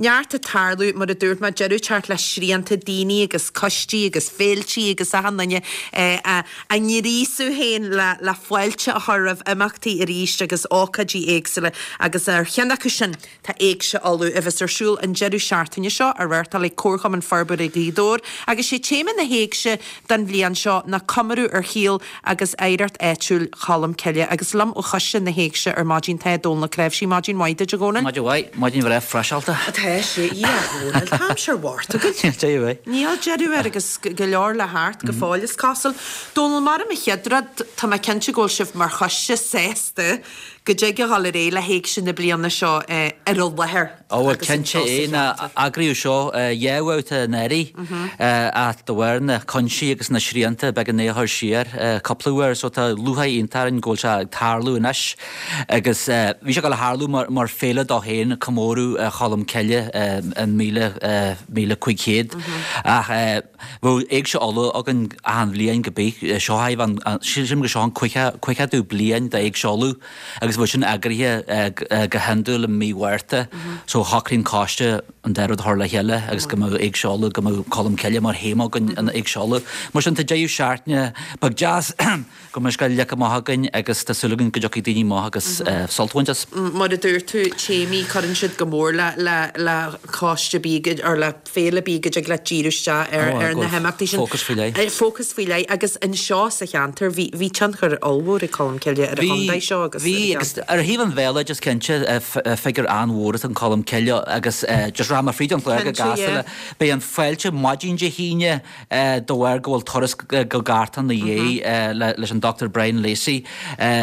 Neart ag tarlú, mar a dúirt mé, deireadh ag teacht le srianta daoine agus coistí agus féiltí agus achan duine á ngríosadh féin le fáilte a chur roimh imeachtaí arís agus ócáidí éagsúla agus ar cheann acu sin tá Éigse Uladh a bheas ar siúl an deireadh seachtaine seo á reáchtáil ag Comharchumann Forbartha Ghaoth Dobhair agus sé téama na hÉigse don bhliain seo ná comóradh ar shaol agus oidhreacht áitiúil Cholm Cille. Agus liom ó choiste na hÉigse ar maidin tá Dónal Ó Cnáimhsí. Maidin mhaith duit, a Dhónaill. Maidin mhaith. Maidin bhreá friseálta. Tá sé, a Dhónaill. Tá aimsir Mhárta againn. Níl deireadh air. Níl deireadh air agus go leor le theacht go fóill is cosúil. Dónal, mar an chéad rud, tá mé cinnte go bhfuil sibh mar choiste sásta go dtig a dhul ar aghaidh le hÉigse na bliana seo ar an láthair. Ó bhuel cinnte é ná eagraíodh seo dhá bhabhta anuraidh ach de bharr na cúinsí agus na srianta b'éigean é a chur siar cúpla uair so tá lúcháir iontach orainn go bhfuil sé ag tarlú anois agus bhí sé ag dul a tharlú mar féile dó féin comóradh Cholm Cille an 1500 ach bheadh Éigse Uladh againn achan bhliain go bith seo sílim go seo an caogadú bliain d'Éigse Uladh. Agus bheadh sin eagraithe go hiondúil i mí Mhárta so shocraigh an coiste an dá rud a chur le chéile agus go mbeadh Éigse Uladh, go mbeadh Colm Cille mar théama againn in Éigse Uladh. Mar sin tá deireadh seachtaine beag deas go mbeidh scoil leagtha amach againn agus tá súil againn go dtiocfaidh daoine amach agus sult a bhaint as. Mar a dúirt tú, téamaí, cuireann siad go mór le le le coiste ar bith or le féile ar bith go dtig leat díriú isteach ar ar na himeachtaí sin. Fócas faoi leith. Fócas faoi leith agus anseo sa cheantar bhí bhí tionchar ollmhór ag Colm Cille ar an chontae seo agus ar an Bhí agus ar thaobh an bhéaloidis cinnte figiúr an-mhór atá in Colm Cille agus just rachaidh mé fríd an chlár go gasta le beidh an fáilte maidin Dé hAoine de bharr go bhfuil turas go Gartán ina dhiaidh leis an Dr Brian Lacey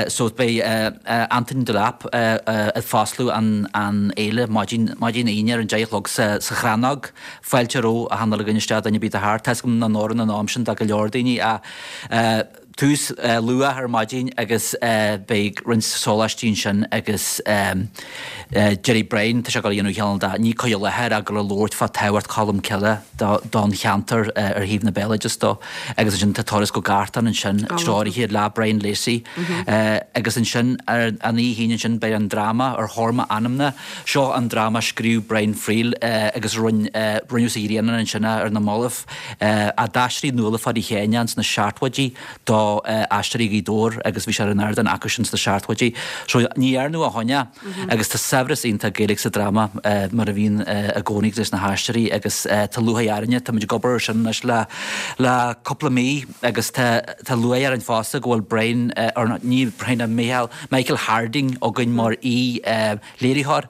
so beidh Anthony Delap ag foscladh an fhéile maidin Aoine ar an 10 a chlog sa Chrannóg. Fáilte romhaibh achan uile dhuine isteach duine ar bith atá thart. Tá 'fhios agam nach n-oireann an am sin do go leor daoine ach tús luath ar maidin agus beidh roinnt sóláistí ansin agus déarfaidh Brian, tá sé ag dul a dhéanamh cineál de, ní cur i láthair ach ag dul a labhairt fá tábhacht Cholm Cille don cheantar ar thaobh na béaloideas dó agus ansin tá turas go Gartán ansin treoraithe le Brian Lacey agus ansin ar an oíche Aoine ansin beidh an dráma Ar Thóir M'Anamna, seo an dráma a scríobh Brian Friel agus rinneadh sa Ghrianán ansin é ar na mallaibh. a d'aistrigh Nuala Pháidí Sheáin é sna seachtóidí do Aisteoirí Ghaoth Dobhair agus bhí sé ar an ardán acu sin sna seachtóidí. So ní dhearnadh ó shoin é agus tá saibhreas iontach Gaeilge sa dráma mar a bhíonn i gcónaí leis na haisteoirí agus tá lúcháir orainne, táimid ag obair ar sin anois le le cúpla mí agus tá tá lúcháir orainn fosta go bhfuil Brian or ní Brian Micheál Michael Harding againn mar aoi léiritheoir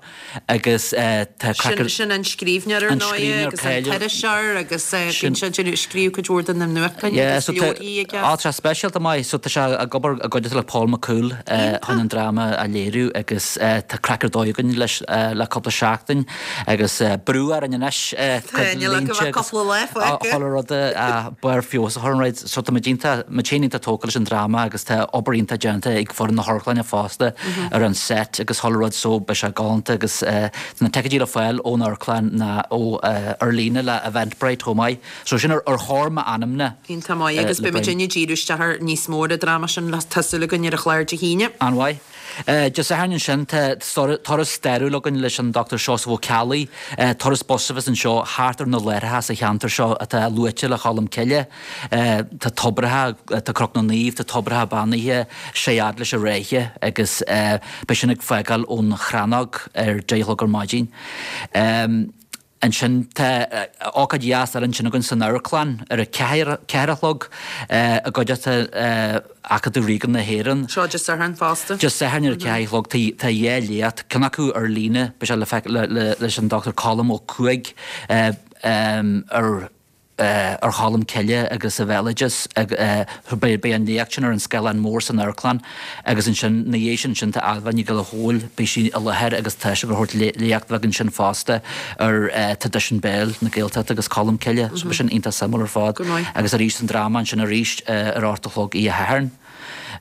agus tá craic ar. Sin an scríbhneoir ar ndóigh agus an t-iriseoir agus bíonn sé ag scríobh cuid mhór de na nuachtáin agus leabharthaí aige. Á tá sé speisialta maith so tá sé ag obair i gcuideachta le Paul McCool chun an dráma a léiriú agus tá craic ar dóigh againn leis le cúpla seachtain agus brú orainn anois cuid línte agus chuile rud a barr feabhas a chur an rud so tá muid iontach muid féin iontach tógtha leis an dráma agus tá obair iontach déanta ag foireann na hamharclainne fosta ar an set agus chuile rud so beidh sé galánta agus tá na ticéidí le fáil ón amharclann ná ó ar líne le Eventbrite chomh maith. So sin ar thóir m'anamna. Iontach maith agus beidh muid ag díriú isteach ar níos mó ar an dráma sin tá súil againn ar an chlár Dé hAoine. An-mhaith. Dé Sathairn ansin tá turas stairiúil againn leis an Dr Seosamh Ó Ceallaigh, turas bus a bheas anseo thart ar na láithreacha sa cheantar seo atá luaite le Cholm Cille. Tá tobracha, tá Cnoc na Naomh, tá tobracha beannaithe, sé fhad leis an Ráithe agus beidh sin ag fágáil ón Chrannóg ar deich a chlog ar maidin. Ansin tá ócáid dheas eile ansin againn san amharclann ar a ceathair a chlog i gcuideachta Acadamh Ríoga na hÉireann. Seo Dé Sathairn fosta. Dé Sathairn ar a ceathair a chlog tá dhá léacht, ceann acu ar líne, beidh sé le feiceáil leis an Dr Colm Ó Cuaig ar ar Cholm Cille agus a bhéaloideas. Beidh an léacht sin ar an scáileán mór san amharclann agus ansin ina dhiaidh sin ansin tá Ailbhe Ní Ghallchóir, beidh sí i láthair agus tá sí ag tabhairt léacht bheag ansin fosta ar traidisiún béil na Gaeltachta agus Colm Cille. So beidh sin iontach suimiúil ar fad. Agus arís an dráma ansin arís ar a hocht a chlog oíche Shathairn.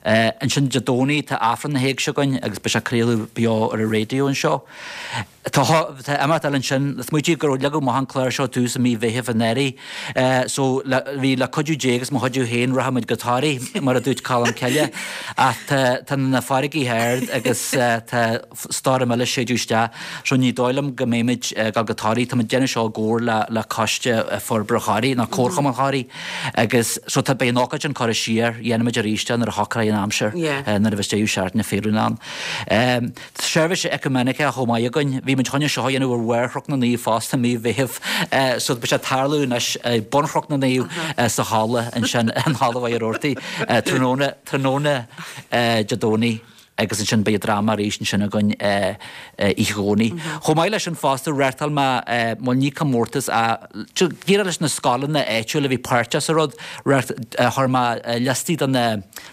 Ansin Dé Domhnaigh tá Aifreann na hÉigse againn agus beidh sé á craoladh beo ar an raidió anseo. Tá imeacht eile ansin, smaoitigh gur leagadh amach an clár seo tús i mí Mheithimh anuraidh so bhí le cuidiú Dé agus mo chuidiú féin rachaimid go Toraigh mar a dúirt Colm Cille ach tá na farraigí ard agus tá stoirm eile ag séideadh isteach so ní dóigh liom go mbeimid ag dul go Toraigh. Táimid ag déanamh seo i gcomhar le le Coiste Forbartha Thoraí nó Comharchumann Thoraí agus so tá beidh an ócáid sin curtha siar, dhéanfaimid arís é nuair a shocróidh an aimsir nuair a bheas deireadh seachtaine feiliúnach ann. Seirbhís Ecumeiniceach chomh maith againn. Bhí muid chun é seo a dhéanamh ar bharr Chnoc na Naomh fosta i mí Mheithimh so beidh sé ag tarlú anois ag bun Chnoc na Naomh sa halla ansin, in Halla Mhachaire Rabhartaigh, tráthnóna, tráthnóna Dé Domhnaigh agus ansin beidh an dráma arís ansin againn oíche Dhomhnaigh. Chomh maith leis sin fosta reáchtáil mé, bhuel ní comórtas ach díreach leis na scoileanna áitiúla a bhí páirteach sa rud, chuir mé liostaí de na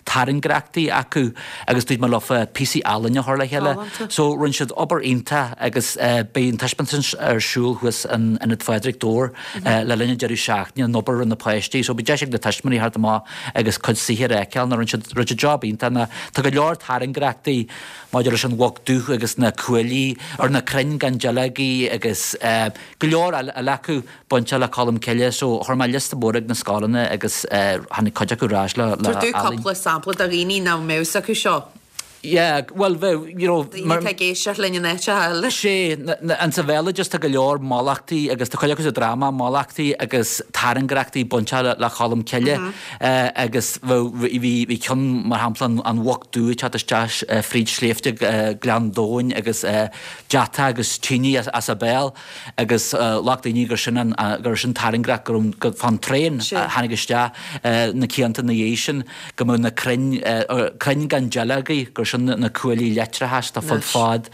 tairngreachtaí acu agus dúirt mé leofa píosaí ealaíne a chur le chéile. So rinne siad obair iontach agus beidh an taispeántas ar siúl thuas in Ionad Phádraig, Dobhar le linn an deireadh seachtaine, an obair a rinne na páistí. So beidh deis ag na tuismitheoirí theacht amach agus cuid saothair a fheiceáil. Rinne siad rinne siad job iontach. Ná tá go leor tairngreachtaí maidir leis an mhuc dubh agus na cuaillí ar na crainn gan duilleogaí agus go leor eile acu. bainte le Colm Cille so chuir mé liosta mór ag na scoileanna agus tháinig cuid acu ar ais le Tabhair dúinn ealaín. cúpla sampla do dhaoine nach mbeadh fhios acu seo. Yeah, bhuel bheadh, you know, Daoine atá ag éisteacht linn in áiteacha eile. Sé, an sa bhéaloideas tá go leor mallachtaí agus tá cuid acu sa dráma, mallachtaí agus tairngreachtaí bainte le le Colm Cille agus bheadh, bhí, bhí ceann mar shampla an an mhuc dubh ag teacht isteach fríd sléibhte Gleann Domhain agus deatach agus tine as a béal. agus ghlac daoine gur sin an, gur sin tairngreacht go raibh, go, fán traein a tháinig isteach na cianta ina dhiaidh sin, go mbeadh na crainn, crainn gan duilleogaí, gur sin na cuaillí leictreachais atá fud fad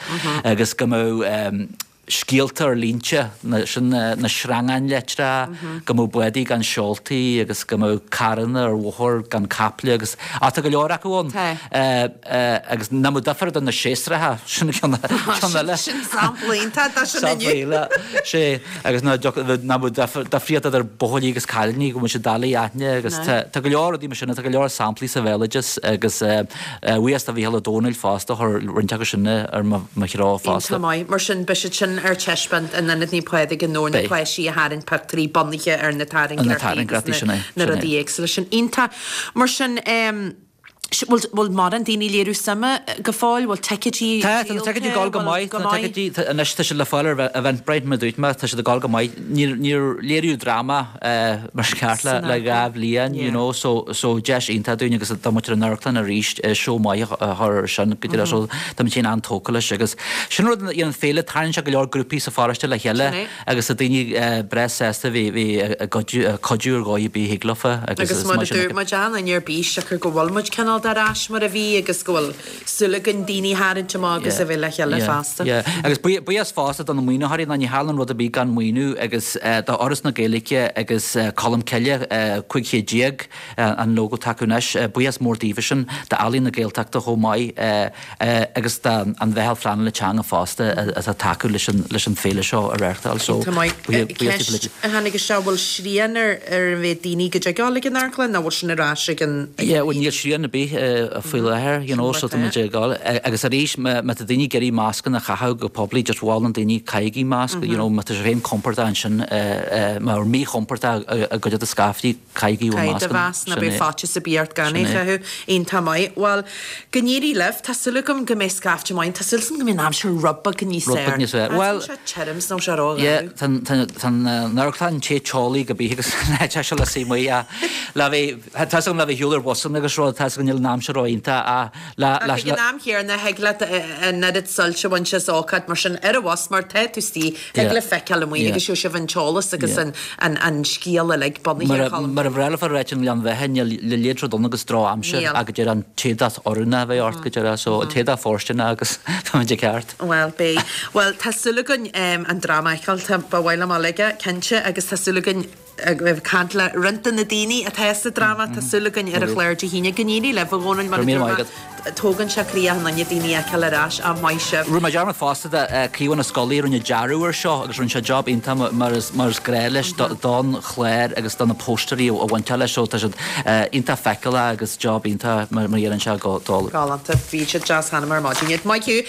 agus go mbeadh scéalta ar línte, sin na sreangáin leictreacha, go mbeadh bádaí gan seoltaí agus go mbeadh carranna ar bhóthar gan caiple agus, á tá go leor acu ann. Agus nach mbeadh difear idir na séasúracha, sin ceann eile. Sin sampla iontach de sin inniu. Sampla eile, sé, agus nach mbeadh difríocht idir buachaillí agus cailíní, go mbeadh siad doiligh a aithne agus tá go leor rudaí mar sin, tá go leor samplaí sa bhéaloideas agus buíochas do Mhícheál Ó Domhnaill fosta, chuir roinnt acu sin ar mo threo fosta. Iontach maith. Mar sin, beidh siad sin ar taispeáint in Ionad Naomh Pádraig i nDobhar, na páistí a tharraing pictiúirí bunaithe ar na tairngreachtaí agus na rudaí éagsúla sin. Iontach. Mar sin, Bhfuil bhfuil mórán daoine ag léiriú suime go fóill? Bhfuil ticéidí Tá, tá na ticéidí ag dul go maith, tá na ticéidí, anois tá siad le fáil ar Eventbrite mar a dúirt mé, tá siad ag dul go maith. Níor, níor léiríodh dráma mar is ceart le, le 2 bhliain, you know, so, so deis iontach dúinn agus do muintir an amharclann arís seó maith a chur ar sin go dtí so tá muid féin an-tógtha leis agus sin rud a dhéanann féile, tarraingíonn sé go leor grúpaí sa pharóiste le chéile. Agus tá daoine breá sásta bheith ag cuidiú ar dhóigh ar bith a thig leofa agus is maith sin. Agus mar a dúirt muid, achan duine ar bís siocair go bhfuil muid cineál de ar ais mar a bhí agus go bhfuil súil againn daoine a tharraingt amach agus a bheith le chéile fosta. Yeah, agus buíochas fosta do na maoinitheoirí, ná ní tharlaíonn rud ar bith gan maoiniú agus do Fhoras na Gaeilge agus Colm Cille 1500 an logo atá acu anois, buíochas mór daofa sin, d'Ealaín na Gaeltachta chomh maith. agus don Mheitheal Phleanála Teanga fosta atá ag tacú leis an leis an féile seo a reáchtáil. So, Iontach maith. buíochas Ceist a tháinig isteach, bhfuil srian ar ar an mhéad daoine go dtig dul ag an amharclann nó bhfuil sin ar ais ag an Yeah, bhuel níl srian ar bith faoi láthair, you know, so tá muid ag dul. Agus arís, má má tá daoine ag iarraidh mascanna a chaitheamh go poiblí, just mholfainn daoine caithigí masc, you know, má tá sibh féin compordach ansin, má míchompordach i gcuideachta scaifte, Caithigí bhur Caith do mhasc ná beidh faitíos ar bith ort gan é chaitheamh. Iontach maith. Bhuel, go n-éirí libh. Tá súil agam go mbeidh scaifte maith. Tá súil agam go mbeidh an aimsir rud beag níos fearr. Rud beag níos fearr. Bhuel, tá sé tirim is nó sé ró yeah, tá an amharclann te teolaí go bith agus tá sé le suí amuigh ach le bheith, tá fhios agam le bheith ar shiúl ar bhusanna agus rud, tá fhios agam níl an aimsir ró iontach ach le, le, Ach ag an am chéanna, thig leat an oiread suilt a bhaint as ócáid mar sin ar an bhus mar tá tú istigh, Thig leat feiceáil amuigh agus gheobhaidh sibh an t-eolas agus an scéal uilig bunaithe ar Cholm. Mar a bhreá leofa a ráit i nGleann Bheatha, níl a leithéid rud ann agus droch-aimsir ach go díreach an t-éadach oiriúnach a bheith ort go díreach so an t-éadach fóirsteanach agus táimid i gceart. Bhuel, beidh. Bhuel, tá súil againn an dráma a fheiceáil, tá, ba mhaith liom a fháil aige, cinnte, agus tá súil againn. Ag caint le roinnt de na daoine atá sa dráma, tá súil againn ar an chlár Dé hAoine. Go n-éirí libh, a Dhónaill, mar a dúirt mé, tógann sé croí achan duine daoine a fheiceáil ar ais, ach maith sibh. Rinne mé dearmad fosta de Caomhán Ó Scolaí a rinne dearadh air seo agus rinne sé job iontach mar is mar is gnáth leis don chlár agus do na póstaerí a bhain leis so tá siad iontach feiceálach agus job iontach mar a dhéanann sé go dóigh. Galánta, bhí siad deas cheana mar maidin iad. Maith thú!